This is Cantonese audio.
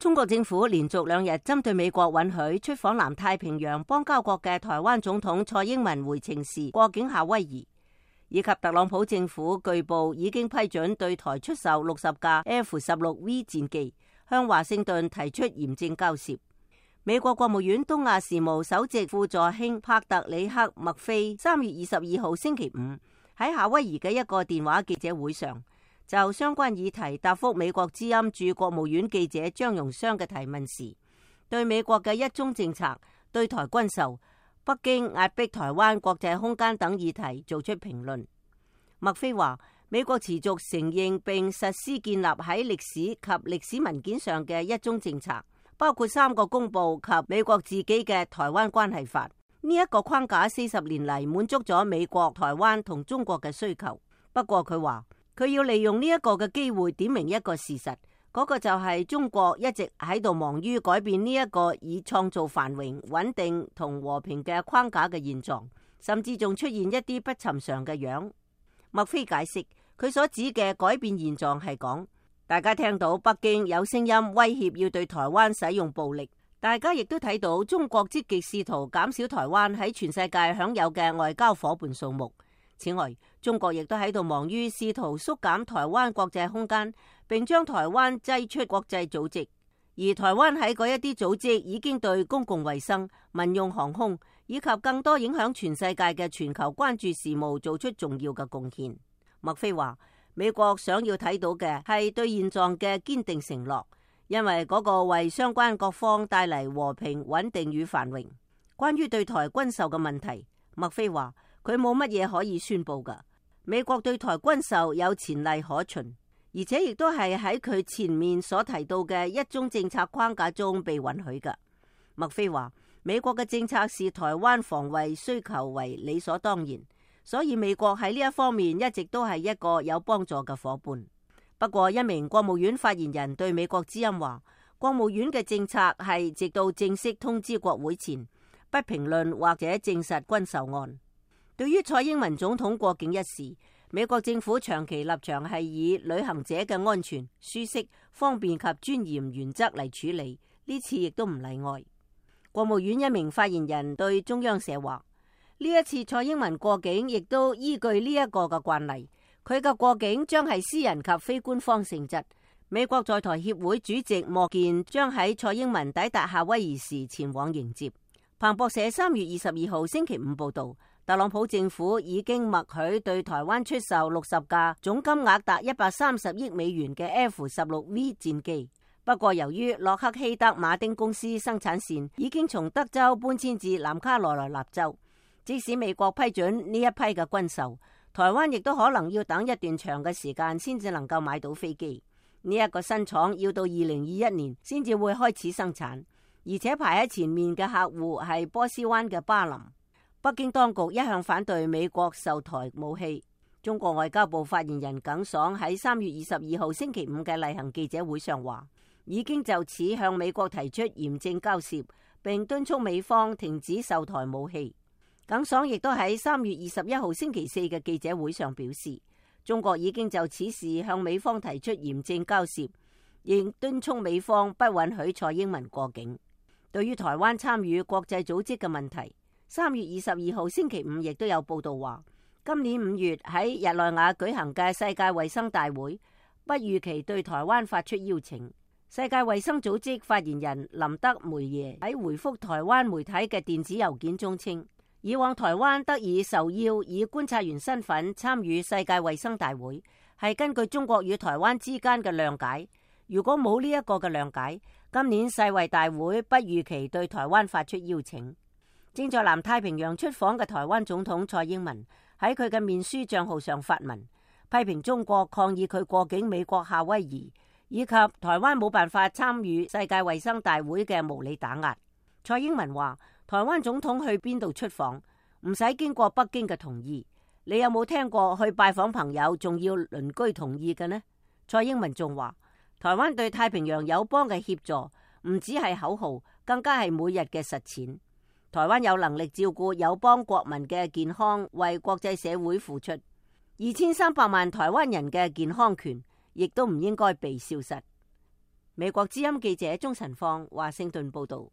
中國政府連續2日針對美國允許出訪南太平洋邦交國嘅台灣總統蔡英文回程時過境夏威夷，以及特朗普政府據報已經批准對台出售60架 F-16V 戰機，向華盛頓提出嚴正交涉。美國國務院東亞事務首席副助卿帕特里克·麥菲3月22號星期五喺夏威夷嘅一個電話記者會上，就相關議題答覆美國之音駐國務院記者張榮湘嘅提問時，對美國嘅一中政策、對台軍售、北京壓迫台灣國際空間等議題做出評論。麥菲話：美國持續承認並實施建立喺歷史及歷史文件上嘅一中政策，包括3個公報及美國自己嘅台灣關係法。呢一個框架40年嚟滿足咗美國、台灣同中國嘅需求。不過佢話佢要利用呢一個嘅機會點明一個事實，嗰個就係中國一直喺度忙於改變呢一個以創造繁榮、穩定同和平嘅框架嘅現狀，甚至仲出現一啲不尋常嘅樣。麥菲解釋，佢所指嘅改變現狀係講，大家聽到北京有聲音威脅要對台灣使用暴力，大家亦都睇到中國積極試圖減少台灣喺全世界享有嘅外交夥伴數目。此外，中國亦都喺度忙於試圖縮減台灣國際空間，並將台灣擠出國際組織。而台灣喺嗰一啲組織已經對公共衛生、民用航空以及更多影響全世界嘅全球關注事務做出重要嘅貢獻。麥菲話：美國想要睇到嘅係對現狀嘅堅定承諾，因為嗰個為相關各方帶嚟和平、穩定與繁榮。關於對台軍售嘅問題，麥菲話佢冇乜嘢可以宣佈㗎。美國對台軍售有前例可循，而且亦都係喺佢前面所提到嘅一中政策框架中被允許嘅。麥菲話美國嘅政策視台灣防衛需求為理所當然，所以美國喺呢一方面一直都係一個有幫助嘅夥伴。不過一名國務院發言人對美國之音話，國務院嘅政策係直到正式通知國會前，不評論或者證實軍售案。對於蔡英文總統過境一事，美國政府長期立場係以旅行者嘅安全、舒適、方便及尊嚴原則嚟處理，呢次亦都唔例外。國務院一名發言人對中央社話，呢一次蔡英文過境亦都依據呢一個嘅慣例，佢嘅過境將係私人及非官方性質。美國在台協會主席莫健將喺蔡英文抵達夏威夷時前往迎接。彭博社3月22號星期五報道，特朗普政府已經默許對台灣出售60架總金額達130億美元嘅 F-16V 戰機。不過由於洛克希德馬丁公司生產線已經從德州搬遷至南卡羅來納州，即使美國批准呢一批嘅軍售，台灣亦都可能要等一段長嘅時間先至能夠買到飛機。呢一個新廠要到2021年先至會開始生產，而且排喺前面嘅客戶係波斯灣嘅巴林。北京當局一向反對美國售台武器。中國外交部發言人耿爽喺3月22號星期五嘅例行記者會上話，已經就此向美國提出嚴正交涉，並敦促美方停止售台武器。耿爽亦都喺3月21號星期四嘅記者會上表示，中國已經就此事向美方提出嚴正交涉，亦敦促美方不允許蔡英文過境。對於台灣參與國際組織嘅問題，3月22號星期五亦都有報道話，今年5月喺日內瓦舉行嘅世界衛生大會不預期對台灣發出邀請。世界衛生組織發言人林德梅耶喺回覆台灣媒體嘅電子郵件中稱，以往台灣得以受邀以觀察員身份參與世界衛生大會，係根據中國與台灣之間嘅諒解。如果冇呢一個嘅諒解，今年世衛大會不預期對台灣發出邀請。正在南太平洋出訪嘅台灣總統蔡英文喺佢嘅面書賬號上發文，批評中國抗議佢過境美國夏威夷，以及台灣冇辦法參與世界衛生大會嘅無理打壓。蔡英文話，台灣總統去邊度出訪唔使經過北京嘅同意，你有冇聽過去拜訪朋友仲要鄰居同意嘅呢？蔡英文仲話，台灣對太平洋友邦嘅協助唔只係口號，更加係每日嘅實踐。台灣有能力照顧友邦國民嘅健康，為國際社會付出2300萬台灣人嘅健康權，亦都唔應該被消失。美國之音記者鍾晨放華盛頓報道。